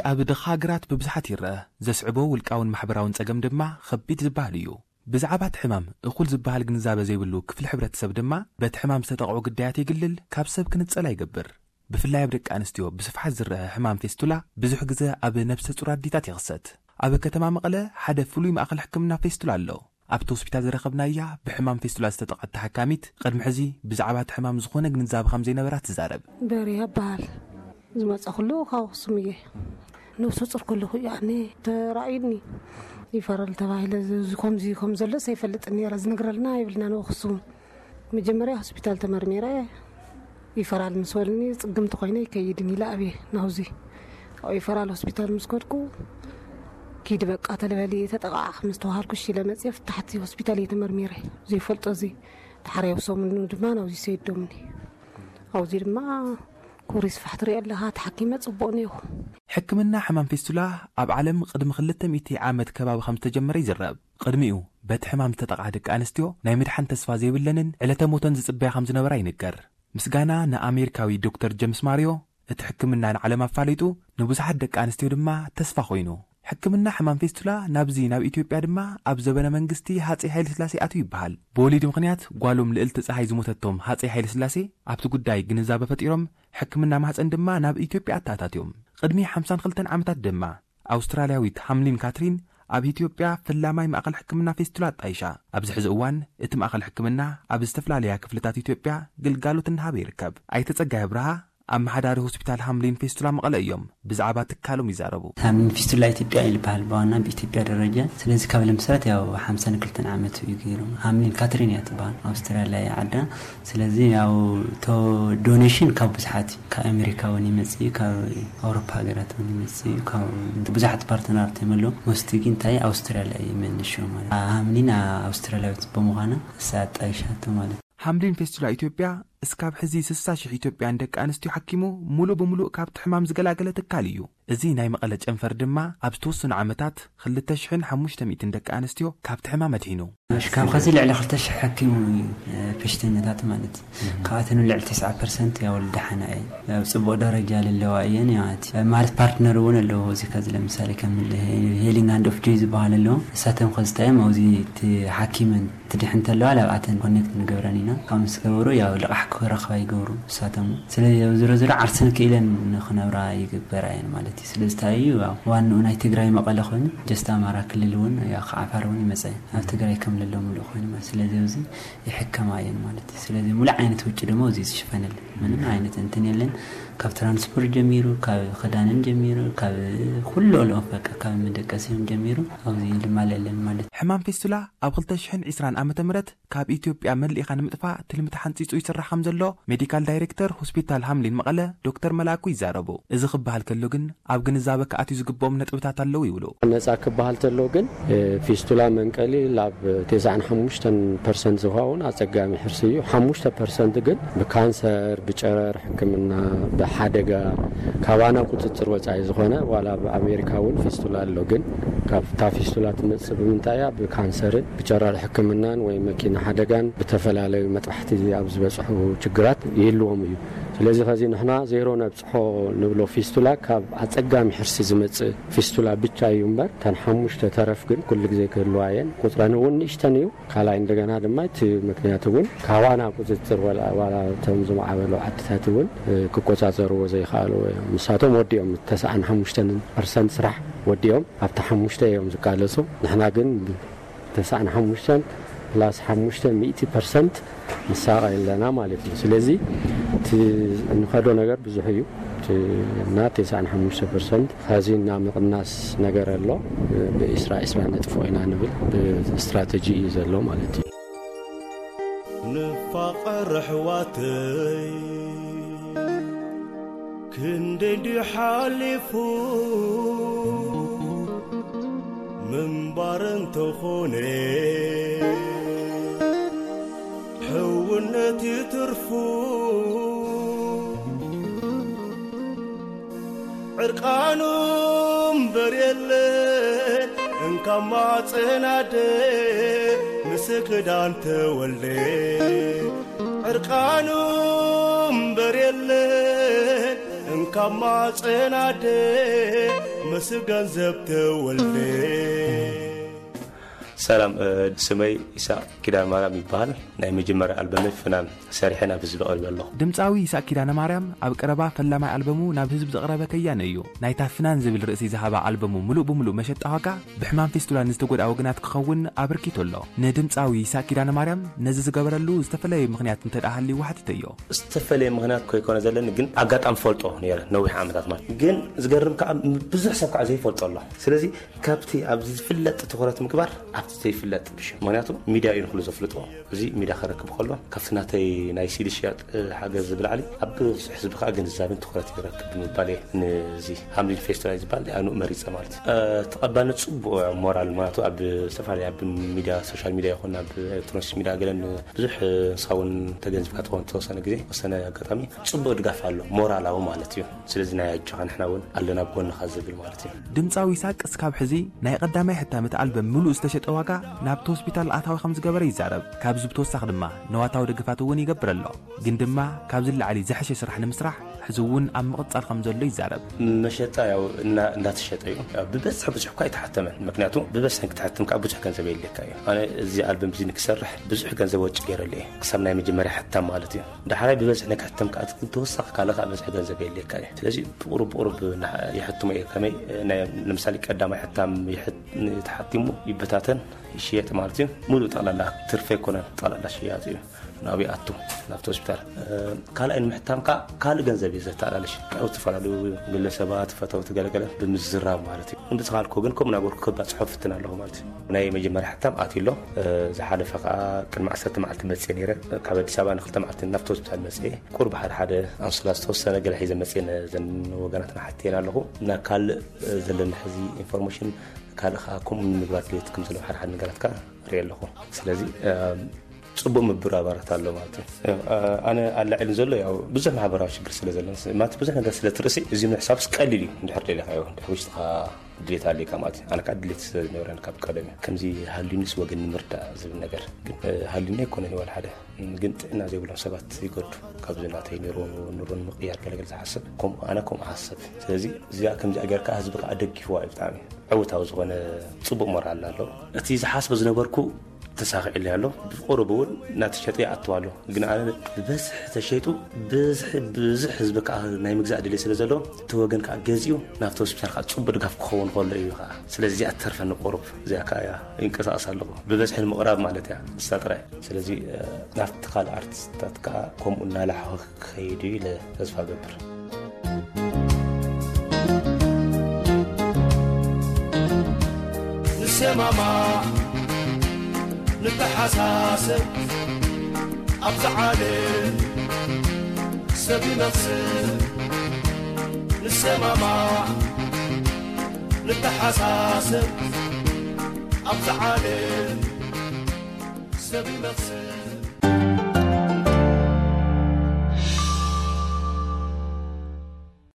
ኣብ ድኻ ሃገራት ብብዝሓት ይረአ። ዘስዕቦ ውልቃውን ማሕበራውን ጸገም ድማ ከቢድ ዝበሃል እዩ። ብዛዕባ እቲ ሕማም እኹል ዝበሃል ግንዛበ ዘይብሉ ክፍሊ ሕብረተሰብ ድማ በቲ ሕማም ዝተጠቕዑ ግዳያት የግልል፣ ካብ ሰብ ክንጸላ ይገብር። ብፍላይ ኣብ ደቂ ኣንስትዮ ብስፍሓት ዝረአ ሕማም ፌስቱላ ብዙሕ ግዘ ኣብ ነብሰ ጹር ኣዴታት ይኽሰት። ኣብ ከተማ መቐለ ሓደ ፍሉይ ማእኸል ሕክምና ፌስቱላ ኣሎ። ኣብቲ ሆስፒታል ዝረኸብናያ ብሕማም ፌስቱላ ዝተጠቕዐት ተሓካሚት፣ ቅድሚ ሕዚ ብዛዕባ እቲ ሕማም ዝኾነ ግንዛበ ከም ዘይነበራ ትዛረብ። በርያ እበሃል። ዝመጸ ኩሉ ካብ ኣኽሱም እየ። ነብሰ ጹር ከለኹ ያኔ ተራእዩኒ። ይፈራል ተባሂለ፣ እዚ ከምዚ ከም ዘሎ ዘይፈልጥ ነይረ፣ ዝነግረልና ይብልና ንኣኽሱም። መጀመርያ ሆስፒታል ተመርሚረ፣ ይፈራል ምስ በሉኒ፣ ጽግምቲ ኮይነ ይከይድን ኢለ ኣብየ ናውዚ። ኣብ ይፈራል ሆስፒታል ምስ ከድኩ፣ ኪድ በቃ ተለበሊ ተጠቃዕ ምስ ተባሃልኩ፣ እሺ ኢለ መጽየ፣ ፍታሕቲ ሆስፒታል እየ ተመርሚረ። ዘይፈልጦ እዚ ተሓርያዊ ሰሙን ድማ ናውዚ ሰይዶምኒ። ኣብዚ ድማ ኩሪ ስፋሕ ትርኢ ኣለኻ፣ ተሓኪመ ጽቡቕ ነይኹ። ሕክምና ሕማም ፌስቱላ ኣብ ዓለም ቅድሚ ክልተ ሚእቲ ዓመት ከባቢ ከም ዝተጀመረ ይዝረብ። ቅድሚኡ በቲ ሕማም ዝተጠቕዓ ደቂ ኣንስትዮ ናይ ምድሓን ተስፋ ዘይብለንን ዕለተ ሞተን ዝጽበያ ከም ዝነበራ ይንገር። ምስጋና ንኣሜሪካዊ ዶክተር ጀምስ ማሪዮ፣ እቲ ሕክምና ንዓለም ኣፋሊጡ፣ ንብዙሓት ደቂ ኣንስትዮ ድማ ተስፋ ኮይኑ። ሕክምና ሕማም ፌስቱላ ናብዚ ናብ ኢትዮጵያ ድማ ኣብ ዘበነ መንግስቲ ሃጸይ ሃይለ ስላሴ ኣትዩ ይበሃል። ብወሊድ ምኽንያት ጓሎም ልእልቲ ጸሃይ ዝሞተቶም ሃጸይ ሃይለ ስላሴ ኣብቲ ጉዳይ ግንዛበ ፈጢሮም፣ ሕክምና ማህጸን ድማ ናብ ኢትዮጵያ ኣተኣታትዮም። ቅድሚ ሓምሳን ክልተን ዓመታት ድማ ኣውስትራልያዊት ሃምሊን ካትሪን ኣብ ኢትዮጵያ ፈላማይ ማእከል ሕክምና ፌስቱላ ኣጣይሻ። ኣብዚ ሕዚ እዋን እቲ ማእከል ሕክምና ኣብ ዝተፈላለያ ክፍልታት ኢትዮጵያ ግልጋሎት እናሃበ ይርከብ። ኣይተ ጸጋይ ኣብርሃ፣ ኣመሓዳሪ ሆስፒታል ሃምሊን ፌስቱላ መቐለ እዮም ብዛዕባ ትካሎም ይዛረቡ። ሃምሊን ፌስቱላ ኢትዮጵያ ይልበሃል ብዋና ብኢትዮጵያ ደረጃ። ስለዚ ካብ ለምሳሌ ያው ሓምሳን ክልተን ዓመት እዩ ገይሩ። ሃምሊን ካትሪን እያ ትበሃል፣ ኣውስትራልያ እያ ዓዳ። ስለዚ ያው ቶ ዶኔሽን ካብ ብዙሓት እዩ፣ ካብ ኣሜሪካ እውን ይመጽእ እዩ፣ ካብ ኣውሮፓ ሃገራት እውን ይመጽእ እዩ፣ ካብ ብዙሓት ፓርትነራት እዮም ኣለዉ። ሞስቲ ግን እንታይ ኣውስትራልያ እዩ መነሻ ማለት። ሃምሊን ኣውስትራልያዊት ብምዃና እሳ ኣጣይሻቶ ማለት። ሃምሊን ፌስቱላ ኢትዮጵያ እስካብ ሕዚ ስሳ ሽሕ ኢትዮጵያን ደቂ ኣንስትዮ ሓኪሙ፣ ሙሉእ ብምሉእ ካብቲ ሕማም ዝገላገለ ትካል እዩ። እዚ ናይ መቐለ ጨንፈር ድማ ኣብ ዝተወሰኑ ዓመታት ክልተ ሽሕን ሓሙሽተ ሚእትን ደቂ ኣንስትዮ ካብቲ ሕማም ኣድሒኑ። እሺ፣ ካብ ከዚ ልዕሊ ክልተ ሽሕ ሓኪሙ እዩ፣ እ፣ በሽተኛታት ማለት እዩ። ካብኣተን ልዕሊ ተስዓ ፐርሰንት ያው ልደሓና እየን። ኣብ ጽቡቕ ደረጃ ለለዋ እየን ማለት እዩ። ማለት ፓርትነር እውን ኣለዎ። እዚ ከዚ ለምሳሌ ከም ሄሊንግ ሃንድ ኦፍ ጆይ ዝበሃል ኣለዎ። ንሳተን ከዚ እንታይ እዮም፣ ኣብዚ እቲ ሓኪመን ትድሕን እንተለዋ፣ ኣብኣተን ኮኔክት ንገብረን ኢና። ካብ ምስ ገበሩ፣ ያው ልቓሕ ክረኽባ ይገብሩ ንሳቶም። ስለዚ፣ ያው ዝሮ ዝሮ ዓርሰን ክኢለን ንኽነብራ ይግበራ እየን ማለት እዩ። ስለዚ፣ እንታይ እዩ፣ ያው ዋንኡ ናይ ትግራይ መቐለ ኮይኑ፣ ጀስት ኣማራ ክልል እውን፣ ያው ካብ ዓፋር እውን ይመጸ እዩ። ኣብ ትግራይ ከም ለሎ ምሉእ ኮይኑ ማለት። ስለዚ፣ ኣብዚ ይሕከማ እየን ማለት እዩ። ስለዚ፣ ሙሉእ ዓይነት ውጪ ድማ፣ እዚ ዝሽፈነለን ምንም ዓይነት እንትን የለን። ካብ ትራንስፖርት ጀሚሩ፣ ካብ ክዳንን ጀሚሩ፣ ካብ ኩሉ ኦልኦም በቃ፣ ካብ መደቀሲን ጀሚሩ፣ ኣብዚ ልማለለን ማለት እዩ። ሕማም ፌስቱላ ኣብ ክልተ ሽሕን ዕስራን ዓመተ ምህረት ካብ ኢትዮጵያ መሊእኻ ንምጥፋእ ትልሚ ተሓንጺጹ ይስራሕ ከም ዘሎ ሜዲካል ዳይሬክተር ሆስፒታል ሃምሊን መቐለ ዶክተር መላኩ ይዛረቡ። እዚ ክበሃል ከሎ ግን ኣብ ግንዛበ ክኣትዩ ዝግብኦም ነጥብታት ኣለዉ ይብሉ። ነጻ ክበሃል ተሎ ግን፣ እ፣ ፊስቱላ መንቀሊ ላብ ተስዓን ሓሙሽተን ፐርሰንት ዝኸውን ኣጸጋሚ ሕርሲ እዩ። ሓሙሽተ ፐርሰንት ግን ብካንሰር፣ ብጨረር ሕክምና፣ ብሓደጋ ካባና ቁጽጽር ወጻኢ ዝኾነ፣ ዋላ ኣብ ኣሜሪካ እውን ፊስቱላ ኣሎ። ግን ካብታ ፊስቱላ ትመጽእ ብምንታይ እያ? ብካንሰርን ብጨረር ሕክምናን ወይ መኪና ሓደጋን ብተፈላለዩ መጥባሕቲ ኣብ ዝበጽሑ ችግራት ይህልዎም እዩ። ስለዚ ኸዚ ንሕና ዜሮ ነብጽሖ ንብሎ ፊስቱላ ካብ ኣጸጋሚ ሕርሲ ዝመጽእ ፊስቱላ ብቻ እዩ እምበር፣ እተን ሓሙሽተ ተረፍ ግን ኩሉ ግዜ ክህልዋ እየን። ቁጽረን እውን ንእሽተን እዩ። ካልኣይ እንደገና ድማ እቲ ምክንያት እውን ካባና ቁጽጽር ወላ፣ ዋላ እቶም ዝማዕበሉ ዓድታት እውን፣ እ፣ ክቆጻጸርዎ ዘይከኣሉ እዮም። ንሳቶም ወዲኦም ተስዓን ሓሙሽተን ፐርሰንት ስራሕ ወዲኦም ኣብቲ ሓሙሽተ እዮም ዝቃለሱ። ንሕና ግን ተስዓን ሓሙሽተን ፕላስ ሓሙሽተ ሚእቲ ፐርሰንት ንሳቐ ኣለና ማለት እዩ። ስለዚ እቲ እንኸዶ ነገር ብዙሕ እዩ። እቲ እና ተስዓን ሓሙሽተ ፐርሰንት ሐዚ እና ምቕናስ ነገር ኣሎ። ብዒስራ ዒስራ ነጥፎ ኢና ንብል ብስትራተጂ እዩ ዘሎ ማለት እዩ። ንፋቐር ኣሕዋተይ ክንደይ እንዲዩ ሓሊፉ ምንባር እንተኾነ ሕውነት እዩ ትርፉ። ዕርቃኑ እምበር የለን እንካብ ማፀናደ ምስ ክዳን ተወልደ። ዕርቃኑ እምበር የለን ካብ ማፀናደ ምስ ገንዘብ ተወልደ። ሰላም፣ እ፣ ስመይ ኢሳቅ ኪዳነ ማርያም ይበሃል። ናይ መጀመርያ ኣልበመይ ፍናን ሰሪሐ ናብ ህዝቢ ቀሪበ ኣለኹ። ድምፃዊ ይስሐቅ ኪዳነ ማርያም ኣብ ቀረባ ፈላማይ ኣልበሙ ናብ ህዝቢ ዘቕረበ ከያኒ እዩ። ናይታ ፍናን ዝብል ርእሲ ዝሃባ ኣልበሙ ምሉእ ብምሉእ መሸጣ ዋጋ ብሕማም ፊስቱላ ንዝተጎድኣ ወገናት ክኸውን ኣበርኪቱ ኣሎ። ንድምፃዊ ይስሐቅ ኪዳነ ማርያም ነዚ ዝገበረሉ ዝተፈለየ ምኽንያት እንተ ደኣ ሃልይዎ ሓቲተዮ። ዝተፈለየ ምኽንያት ኮይኮነ ዘለኒ፣ ግን ኣጋጣሚ ፈልጦ ነይረ ነዊሕ ዓመታት ማለት። ግን ዝገርም ከዓ ብዙሕ ሰብ ከዓ ዘይፈልጦ ኣሎ። ስለዚ ካብቲ ኣብዚ ዝፍለጥ ትኹረት ምግባር ኣብቲ ዘይፍለጥ ብሽ፣ ምኽንያቱ ሚድያ እዩ ንኩሉ ዘፍልጦ። እዚ ሚድያ ክረክብ ከሎ ካብቲ ናተይ ናይ ሲዲ ሽያጥ፣ እ፣ ሓገዝ ብላዕሊ ኣብ ብዙሕ ህዝቢ ከዓ ግንዛቤን ትኹረት ይረክብ ብምባል እየ ነዚ ሃምሊን ፌስቲቫል ዝበሃል ኣኑ መሪፀ ማለት እዩ። እ፣ ተቐባልነት ፅቡቅ፣ ሞራል ማለት ኣብ ዝተፈላለዩ ኣብ ሚድያ፣ ሶሻል ሚድያ ይኹን ኣብ ኤሌክትሮኒክስ ሚድያ ገለን ብዙሕ፣ እ፣ ንስኻ እውን ተገንዚብካ ትኸውን ተወሰነ ግዜ፣ ወሰነ ኣጋጣሚ ፅቡቅ ድጋፍ ኣሎ፣ ሞራላዊ ማለት እዩ። ስለዚ ናይ ኣጆኻ ንሕና እውን ኣለና ኣብ ጎንኻ ዝብል ማለት እዩ። ድምፃዊ ይስሐቅ እስካብ ሕዚ ናይ ቀዳማይ ሕታም እቲ ኣልበም ምሉእ ዝተሸጠ ዋጋ ናብቲ ሆስፒታል ኣታዊ ከም ዝገበረ ይዛረብ። ካብዚ ብተወሳኺ ድማ ነዋታዊ ደገፋት እውን ይገብር ኣሎ። ግን ድማ ካብዚ ንላዕሊ ዝሐሸ ስራሕ ንምስራሕ ሕዚ እውን ኣብ ምቕጻል ከም ዘሎ ይዛረብ። መሸጣ ያው እና-፣ እንዳተሸጠ እዩ። ያው ብበዝሒ ብዙሕ እኳ ኣይተሓተመን። ምክንያቱ ብበዝሒ ንክትሕትም ከዓ ብዙሕ ገንዘብ የድልየካ እዩ። ኣነ እዚ ኣልበም እዚ ንክሰርሕ ብዙሕ ገንዘብ ወጪ ገይረሉ እየ። ክሳብ ናይ መጀመርያ ሕታም ማለት እዩ። ዳሕራይ ብበዝሒ ንክሕተም ከዓ ግን ተወሳኺ ካልእ ከዓ በዝሒ ገንዘብ የድልየካ እዩ። ስለዚ ብቁሩብ ብቁሩብ እና-፣ ይሕትሞ እየ። ከመይ ናይ፣ ንምሳሌ ቀዳማይ ሕታም ይሕት-፣ ተሓቲሙ ይበታተን ይሽየጥ ማለት እዩ። ሙሉእ ጠቕላላ ትርፊ ኣይኮነን፣ ጠቕላላ ሽያጥ እዩ። ናብኡ ይኣቱ፣ ናብቲ ሆስፒታል። እ፣ ካልኣይ ንምሕታም ከዓ ካልእ ገንዘብ እዩ ዘተኣላልሽ። ካብ ዝተፈላለዩ ግለሰባት፣ ፈተውቲ ገለገለ ብምዝራብ ማለት እዩ። ብዝኻልኮ ግን ከምኡ እናበልኩ ከባፅሖ ፍትን ኣለኹ ማለት እዩ። ናይ መጀመርያ ሕታም ኣትዩ ኣሎ። እ፣ ዝሓለፈ ከዓ ቅድሚ ዓሰርተ መዓልቲ መፅየ ነይረ። ካብ ኣዲስ ኣበባ ንክልተ መዓልቲ ናብቲ ሆስፒታል መፅየ። ቁሩብ ሓደ ሓደ ኣንሶላ ዝተወሰነ ገለ ሒዘ መፅየ ነዘን ወገናትና ሓትየን ኣለኹ። እና ካልእ፣ እ፣ ዘለኒ ሕዚ ኢንፎርሜሽን ካልእ ከዓ ከምኡ ንምግባር ድሌት ከም ዘለዎ ሓደ ሓደ ነገራት ከዓ ርኢ ኣለኹ። ስለዚ፣ እ፣ ፅቡቅ ምብርባራት ኣሎ ማለት እዩ። እ፣ ኣነ ኣላዒሉ ዘሎ ያው ብዙሕ ማሕበራዊ ሽግር ስለ ዘሎ ማለት ብዙሕ ነገር ስለ ትርእሲ እዚ ምሕሳብስ ቀሊል እዩ። እንድሕር ደሊኻዮ፣ እንድሕር ውሽጥኻ ድሌት ኣለካ ማለት እዩ። ኣነ ከዓ ድሌት ስለ ዝነበረኒ ካብ ቀደም እዩ። ከምዚ ሃልዩኒስ ወገን ንምርዳእ ዝብል ነገር ግን፣ እ፣ ሃልዩኒ ኣይኮነን ዋላ ሓደ። ግን ጥዕና ዘይብሎም ሰባት ይገዱ። ካብዚ ናተይ ኑሮ፣ ኑሮ ንምቕያር ገለገለ ዝሓስብ፣ ከምኡ ኣነ ከምኡ ሓስብ። ስለዚ እዚኣ ከምዚኣ ጌርካ ህዝቢ ከዓ ደጊፍዋ እዩ። ብጣዕሚ ዕውታዊ ዝኾነ ፅቡቅ ሞራል ኣሎ። እቲ ዝሓስቦ ዝነበርኩ ተሳኺዕለይ ኣሎ። ብቁሩብ እውን እናተሸጠ ይኣትው ኣሎ። ግን ኣነ ብበዝሒ ተሸይጡ፣ ብዝሒ፣ ብዙሕ ህዝቢ ከዓ ናይ ምግዛእ ድሌት ስለ ዘሎ፣ እቲ ወገን ከዓ ገዚኡ ናብቲ ሆስፒታል ከዓ ፅቡቅ ድጋፍ ክኸውን ከሎ እዩ ከዓ። ስለዚ እዚኣ ትተርፈኒ ቁሩብ፣ እዚኣ ከዓ እያ ይንቀሳቐስ ኣለኹ። ብበዝሒ ንምቕራብ ማለት እያ፣ ንሳ ጥራይ። ስለዚ፣ እ፣ ናብቲ ካልእ ኣርቲስታት ከዓ ከምኡ እናላሓኹ ክኸይድ እዩ ኢለ ተስፋ እገብር። ንሰማማዕ፣ ንተሓሳሰብ፣ ኣብዛ ዓለም ሰብ ይመኽስብ። ንሰማማዕ፣ ንተሓሳሰብ፣ ኣብዛ ዓለም ሰብ ይመኽስብ።